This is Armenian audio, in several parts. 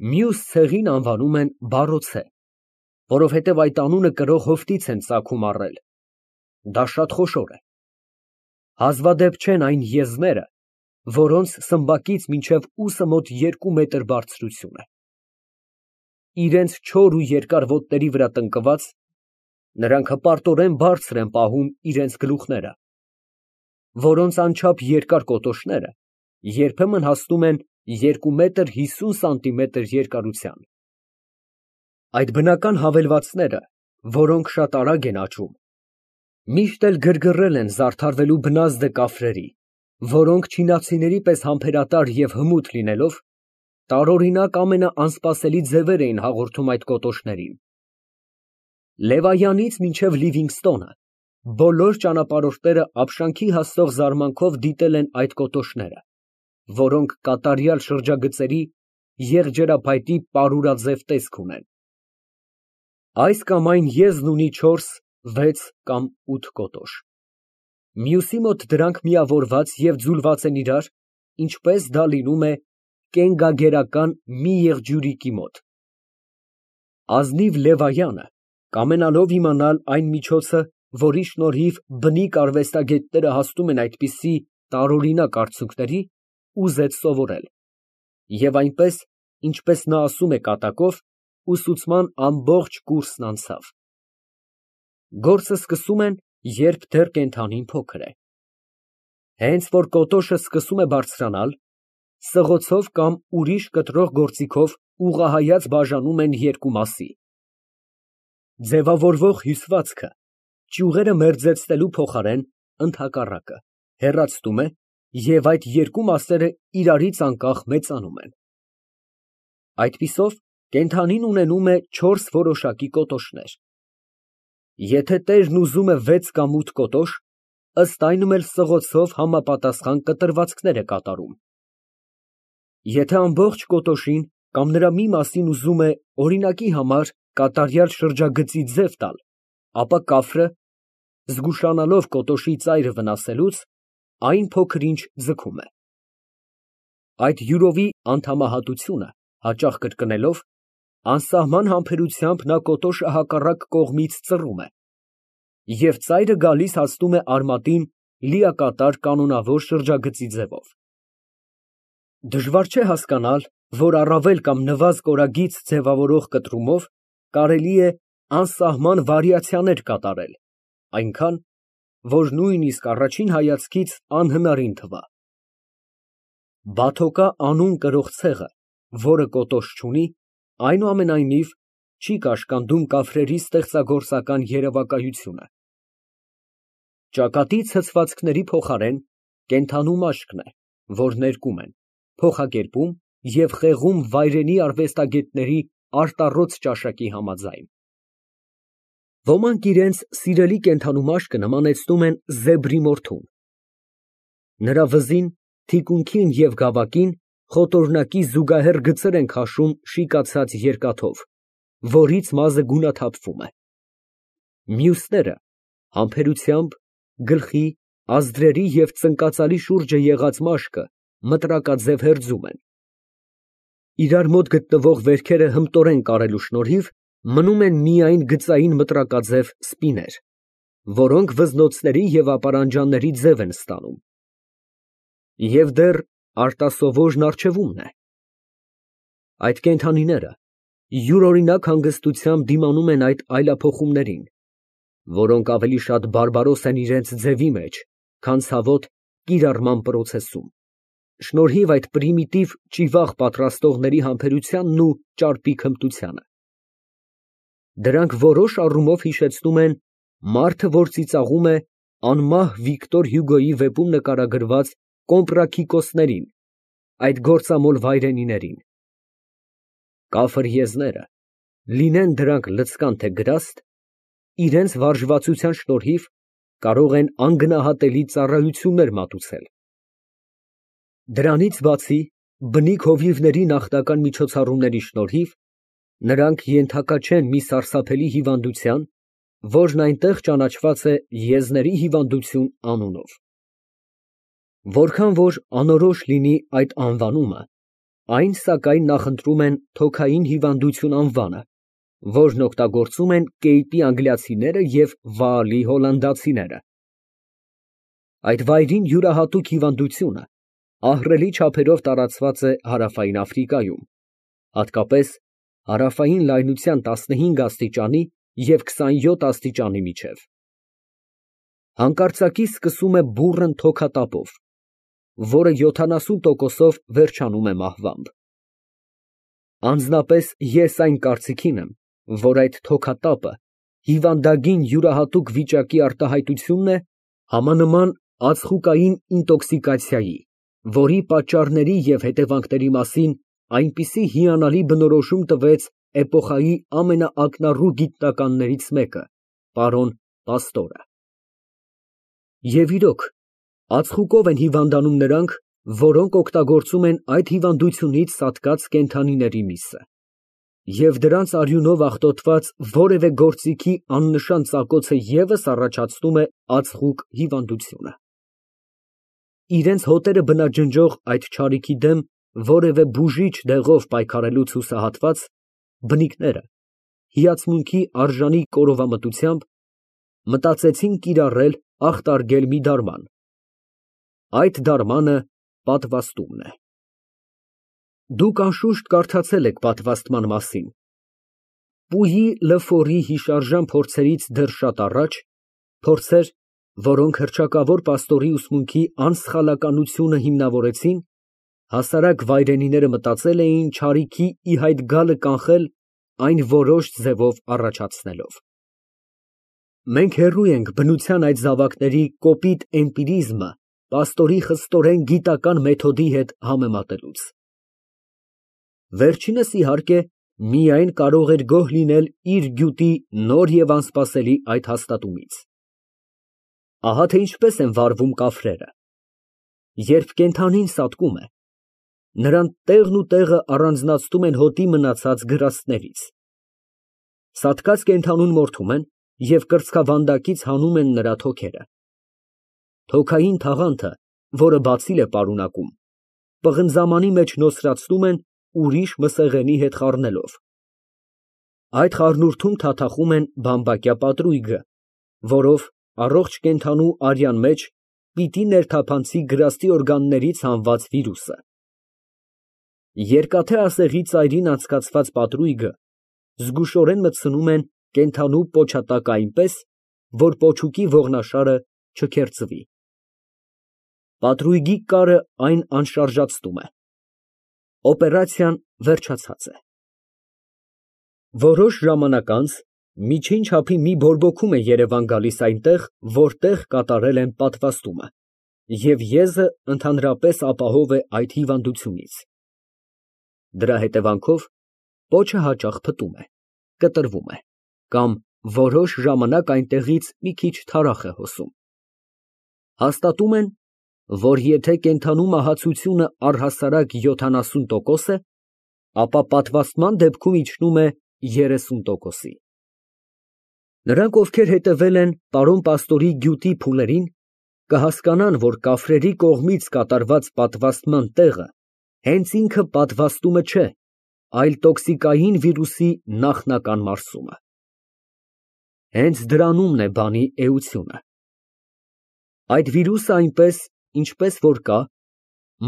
Մյուս ցեղին անվանում են բարոցե, որովհետև այդ անունը կրող հովտից են ծագում առել. դա շատ խոշոր է։ Հազվադեպ չեն այն եզները, որոնց սմբակից մինչև ուսը մոտ 2 մետր բարձրություն է։ Իրենց չոր ու երկար ոտների վրա տնկված, նրանք հպարտորեն բարձր են պահում իրենց գլուխները, որոնց անչափ երկար կոտոշները երբեմն հասնում են 2 մետր 50 սանտիմետր երկարության։ Այդ բնական հավելվածները, որոնք շատ արագ են աճում, միշտ էլ գրգռել են զարդարվելու բնազդը կաֆրերի, որոնք չինացիների պես համբերատար և հմուտ լինելով, տարօրինակ ամենաանսպասելի ձևեր էին հաղորդում այդ կոտոշներին։ Լևայանից մինչև Լիվինգստոնը բոլոր ճանապարհորդները ապշանքի հասցող զարմանքով դիտել են այդ կոտոշները, որոնք կատարյալ շրջագծերի եղջերափայտի պարուրաձև տեսք ունեն։ Այս կամ այն եզն ունի 4, 6 կամ 8 կոտոշ։ Մյուսի մոտ դրանք միավորված և ձուլված են իրար, ինչպես դա լինում է կենգագերական մի եղջյուրիկի մոտ։ Ազնիվ Լևայանը, կամենալով իմանալ այն միջոցը, որի շնորհիվ բնիկ արվեստագետները հասնում են այդպիսի տարօրինակ արդյունքների, ուզեց սովորել, և այնպես, ինչպես նա ասում է կատակով, ուսուցման ամբողջ կուրսն անցավ։ Գործը սկսում են, երբ դեռ կենդանին փոքր է։ Հենց որ կոտոշը սկսում է բարձրանալ, սղոցով կամ ուրիշ կտրող գործիքով ուղղահայաց բաժանում են երկու մասի։ Ձևավորվող հյուսվածքը ճյուղերը մերձեցնելու փոխարեն, ընդհակառակը, հեռացնում է և այդ երկու մասերը իրարից անկախ մեծանում են։ Այդպիսով կենդանին ունենում է 4 որոշակի կոտոշներ։ Եթե տերն ուզում է 6 կամ 8 կոտոշ, ըստ այնմ էլ սղոցով համապատասխան կտրվածքներ է կատարում։ Եթե ամբողջ կոտոշին կամ նրա մի մասին ուզում է, օրինակի համար, կատարյալ շրջագծի ձև տալ, ապա կաֆրը, զգուշանալով կոտոշի ծայրը վնասելուց, այն փոքր-ինչ ձգում է։ Այդ յուրովի անդամահատությունը հաճախ կրկնելով, անսահման համբերությամբ նա կոտոշը հակառակ կողմից ծռում է, և ծայրը գալիս հասնում է արմատին լիակատար կանոնավոր շրջագծի ձևով։ Դժվար չէ հասկանալ, որ առավել կամ նվազ կորագիծ ձևավորող կտրումով կարելի է անսահման վարիացիաներ կատարել, այնքան, որ նույնիսկ առաջին հայացքից անհնարին թվա։ Բաթոկա անուն կրող ցեղը, որը կոտոշ չունի, այնուամենայնիվ, չի կաշկանդում կաֆրերի ստեղծագործական երևակայությունը։ Ճակատի ցցվածքների փոխարեն կենդանու մաշկն է, որ ներկում են, փոխակերպում և խեղում վայրենի արվեստագետների արտառոց ճաշակի համաձայն։ Ոմանք իրենց սիրելի կենդանու մաշկը նմանեցնում են զեբրի մորթուն։ Նրա վզին, թիկունքին և գավակին խոտորնակի զուգահեռ գծեր են քաշում շիկացած երկաթով, որից մազը գունաթափվում է։ Մյուսները համբերությամբ գլխի, ազդրերի և ծնկածալի շուրջը եղած մաշկը մտրակաձև հերձում են։ Իրար մոտ գտնվող վերքերը հմտորեն կարելու շնորհիվ մնում են միայն գծային մտրակաձև սպիներ, որոնք վզնոցների և ապարանջանների ձև են ստանում։ Եվ դեռ արտասովորն առջևումն է։ Այդ կենդանիները յուրօրինակ հանգստությամբ դիմանում են այդ այլափոխումներին, որոնք ավելի շատ բարբարոս են իրենց ձևի մեջ, քան ցավոտ կիրառման պրոցեսում, շնորհիվ այդ պրիմիտիվ ճիվաղ պատրաստողների համբերությանն ու ճարպիկ հմտությանը։ Դրանք որոշ առումով հիշեցնում են «Մարդը, որ ծիծաղում է» անմահ Վիկտոր Հյուգոյի վեպում նկարագրված կոմպրաքիկոսներին, այդ գործամոլ վայրենիներին։ Կաֆր եզները, լինեն դրանք լցկան թե գրաստ, իրենց վարժվածության շնորհիվ կարող են անգնահատելի ծառայություններ մատուցել։ Դրանից բացի, բնիկ հովիվների նախնական միջոցառումների շնորհիվ, նրանք ենթակա չեն մի սարսափելի հիվանդության, որն այնտեղ ճանաչված է եզների հիվանդություն անունով։ Որքան որ անորոշ լինի այդ անվանումը, Այն, սակայն, նախընտրում են թոքային հիվանդություն անվանը, որն օգտագործում են Կեյպի անգլիացիները և Վաալի հոլանդացիները։ Այդ վայրին յուրահատուկ հիվանդությունը ահռելի չափերով տարածված է հարավային Աֆրիկայում, հատկապես հարավային լայնության 15 աստիճանի և 27 աստիճանի միջև։ Հանկարծակի սկսում է բուռն թոքատապով, որը 70%-ով վերջանում է մահվամբ։ Անձնապես ես այն կարծիքին եմ, որ այդ թոքատապը հիվանդագին յուրահատուկ վիճակի արտահայտությունն է, համանման ածխուկային ինտոքսիկացիայի, որի պատճառների և հետևանքների մասին այնպիսի հիանալի բնորոշում տվեց էպոխայի ամենաակնառու գիտնականներից մեկը, պարոն Պաստորը։ Եվ իրոք, ածխուկով են հիվանդանում նրանք, որոնք օգտագործում են այդ հիվանդությունից սատկած կենդանիների միսը, և դրանց արյունով աղտոտված որևէ գործիքի աննշան ծակոցը ևս առաջացնում է ածխուկ հիվանդությունը։ Իրենց հոտերը բնաջնջող այդ չարիքի դեմ որևէ բուժիչ դեղով պայքարելուց հուսահատված, բնիկները հիացմունքի արժանի կորովամտությամբ մտածեցին կիրառել ախտարգել մի դարման։ Այդ դարմանը պատվաստումն է։ Դուք անշուշտ կարդացել եք պատվաստման մասին։ Պույի Լըֆորի հիշարժան փորձերից դեռ շատ առաջ, փորձեր, որոնք հռչակավոր պաստորի ուսմունքի անսխալականությունը հիմնավորեցին, հասարակ վայրենիները մտածել էին չարիքի ի հայտ գալը կանխել այն որոշ ձևով առաջացնելով։ Մենք հեռու ենք բնության այդ զավակների կոպիտ էմպիրիզմը պաստորի խստորեն գիտական մեթոդի հետ համեմատելուց։ Վերջինս, իհարկե, միայն կարող էր գոհ լինել իր գյուտի նոր և անսպասելի այդ հաստատումից։ Ահա թե ինչպես են վարվում կաֆրերը։ Երբ կենդանին սատկում է, նրան տեղն ու տեղը առանձնացնում են հոտի մնացած գրաստներից։ Սատկած կենդանուն մորթում են և կրծքավանդակից հանում են նրա թոքերը։ Թոքային թաղանթը, որը բացիլ է պարունակում, պղնձամանի մեջ նոսրացնում են ուրիշ մսեղենի հետ խառնելով։ Այդ խառնուրդում թաթախում են բամբակյա պատրույգը, որով առողջ կենդանու արյան մեջ պիտի ներթափանցի գրաստի օրգաններից հանված վիրուսը։ Երկաթե ասեղի ծայրին անցկացված պատրույգը զգուշորեն մտցնում են կենդանու պոչատակը այնպես, որ պոչուկի ողնաշարը չքերծվի։ Պատրույգի կարը այն անշարժացնում է։ Օպերացիան վերջացած է։ Որոշ ժամանակ անց միջին չափի մի բորբոքում է երևան գալիս այնտեղ, որտեղ կատարել են պատվաստումը, և եզը ընդհանրապես ապահով է այդ հիվանդությունից։ Դրա հետևանքով պոչը հաճախ փտում է, կտրվում է, կամ որոշ ժամանակ այնտեղից մի քիչ թարախ է հոսում։ Հաստատում են, որ եթե կենդանու մահացությունը առհասարակ 70% է, ապա պատվաստման դեպքում իջնում է 30%-ի։ Նրանք, ովքեր հետևել են պարոն Պաստորի գյուտի փուլերին, կհասկանան, որ կաֆրերի կողմից կատարված պատվաստման տեղը հենց ինքը պատվաստումը չէ, այլ տոքսիկային վիրուսի նախնական մարսումը։ Հենց դրանումն է բանի էությունը։ Այդ վիրուսը այնպես, ինչպես որ կա,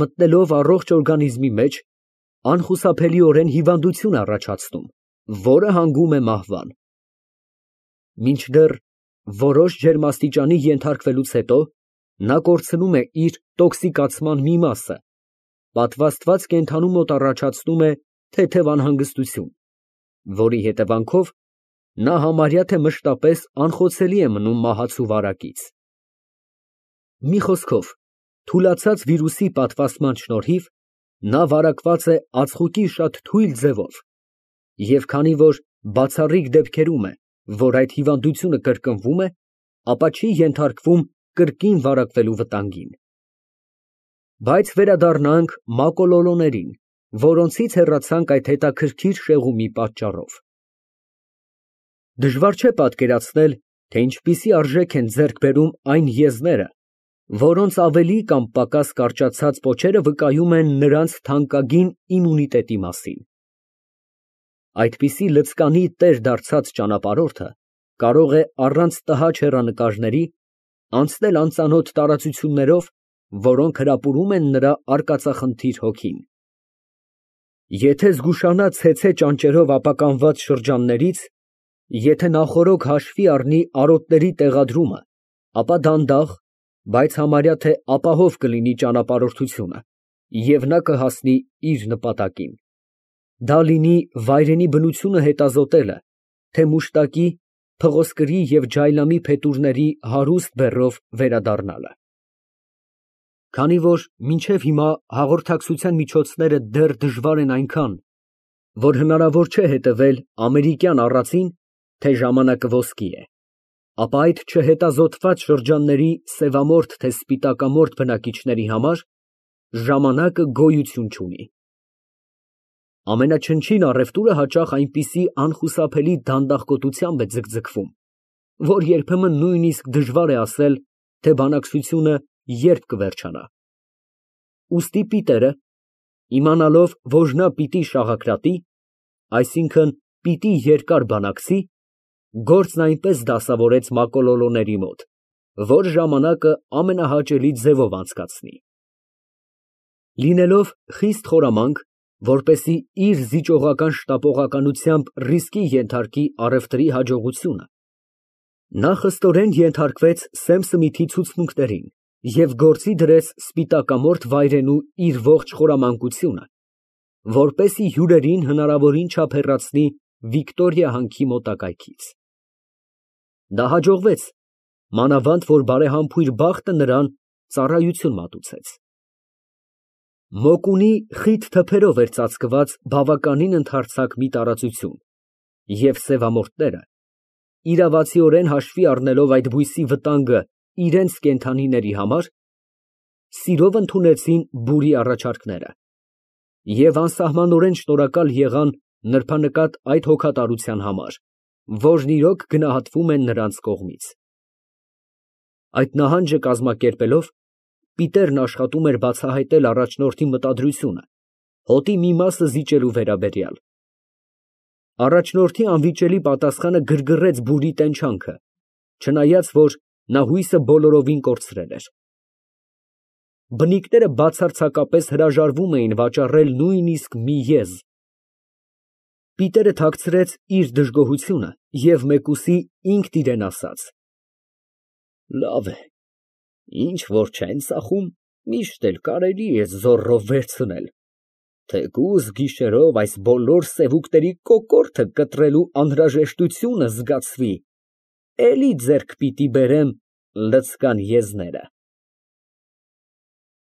մտնելով առողջ օրգանիզմի մեջ, անխուսափելիորեն հիվանդություն է առաջացնում, որը հանգում է մահվան։ Մինչդեռ որոշ ջերմաստիճանի ենթարկվելուց հետո նա կորցնում է իր տոքսիկացման մի մասը, պատվաստված կենդանու մոտ առաջացնում է թեթև անհանգստություն, որի հետևանքով նա համարյա թե մշտապես անխոցելի է մնում մահացու վարակից։ Մի խոսքով, թուլացած վիրուսի պատվաստման շնորհիվ նա վարակված է ածխուկի շատ թույլ ձևով, և քանի որ բացառիկ դեպքերում է, որ այդ հիվանդությունը կրկնվում է, ապա չի ենթարկվում կրկին վարակվելու վտանգին։ Բայց վերադառնանք մակոլոլոներին, որոնցից հեռացանք այդ հետաքրքիր շեղումի պատճառով։ Դժվար չէ պատկերացնել, թե ինչպիսի արժեք են ձեռք բերում այն եզները, որոնց ավելի կամ պակաս կարճացած պոչերը վկայում են նրանց թանկագին իմունիտետի մասին։ Այդպիսի լցկանի տեր դարձած ճանապարհորդը կարող է առանց տհաճ հեռանկարների անցնել անծանոթ տարածություններով, որոնք հրապուրում են նրա արկածախնդիր հոգին։ Եթե զգուշանա ցեցե ճանճերով ապականված շրջաններից, եթե նախօրոք հաշվի առնի արոտների տեղադրումը, ապա դանդաղ, բայց համարյա թե ապահով կլինի ճանապարհորդությունը, և նա կհասնի իր նպատակին։ Դա լինի վայրենի բնությունը հետազոտելը, թե մուշտակի, փղոսկրի և ջայլամի փետուրների հարուստ բեռով վերադառնալը։ Քանի որ մինչև հիմա հաղորդակցության միջոցները դեռ դժվար են այնքան, որ հնարավոր չէ հետևել ամերիկյան առածին, թե ժամանակը ոսկի է, ապա այդ չհետազոտված շրջանների սևամորթ թե սպիտակամորթ բնակիչների համար ժամանակը գոյություն չունի։ Ամենաչնչին առևտուրը հաճախ այնպիսի անխուսափելի դանդաղկոտությամբ է ձգձգվում, որ երբեմն նույնիսկ դժվար է ասել, թե բանակցությունը երբ կվերջանա։ Ուստի Պիտերը, իմանալով, որ նա պիտի շաղակրատի, այսինքն պիտի երկար բանակցի, գործն այնպես դասավորեց մակոլոլոների մոտ, որ ժամանակը ամենահաճելի ձևով անցկացնի։ Լինելով խիստ խորամանկ, որպեսզի իր զիջողական շտապողականությամբ ռիսկի ենթարկի առևտրի հաջողությունը, նա խստորեն ենթարկվեց սեմ սմիթի ցուցմունքներին և գործի դրեց սպիտակամորթ վայրենու իր ողջ խորամանկությունը, որպեսզի հյուրերին հնարավորին չափ հեռացնի Վիկտորիա հանքի մոտակայքից։ Դա հաջողվեց, մանավանդ որ բարեհամբույր բախտը նրան ծառայություն մատուցեց։ Մոկունի խիտ թփերով էր ծածկված բավականին ընդարձակ մի տարածություն, և սևամորթները, իրավացիորեն հաշվի առնելով այդ բույսի վտանգը իրենց կենդանիների համար, սիրով ընդունեցին բուրի առաջարկները և անսահմանորեն շնորհակալ եղան նրբանկատ այդ հոգատարության համար, որն իրոք գնահատվում է նրանց կողմից։ Այդ նահանջը կազմակերպելով, Պիտերն աշխատում էր բացահայտել առաջնորդի մտադրությունը հոտի մի մասը զիջելու վերաբերյալ։ Առաջնորդի անվիճելի պատասխանը գրգռեց բուրի տենչանքը, չնայած որ նա հույսը բոլորովին կորցրել էր։ Բնիկները բացարձակապես հրաժարվում էին վաճառել նույնիսկ մի եզ։ Պիտերը թաքցրեց իր դժգոհությունը և մեկուսի ինքն իրան ասաց. «Լավ է, ինչ որ չեն ծախում, միշտ էլ կարելի է զոռով վերցնել, թեկուզ գիշերով այս բոլոր սևուկների կոկորդը կտրելու անհրաժեշտությունը զգացվի, էլի ձեռք պիտի բերեմ լցկան եզները»։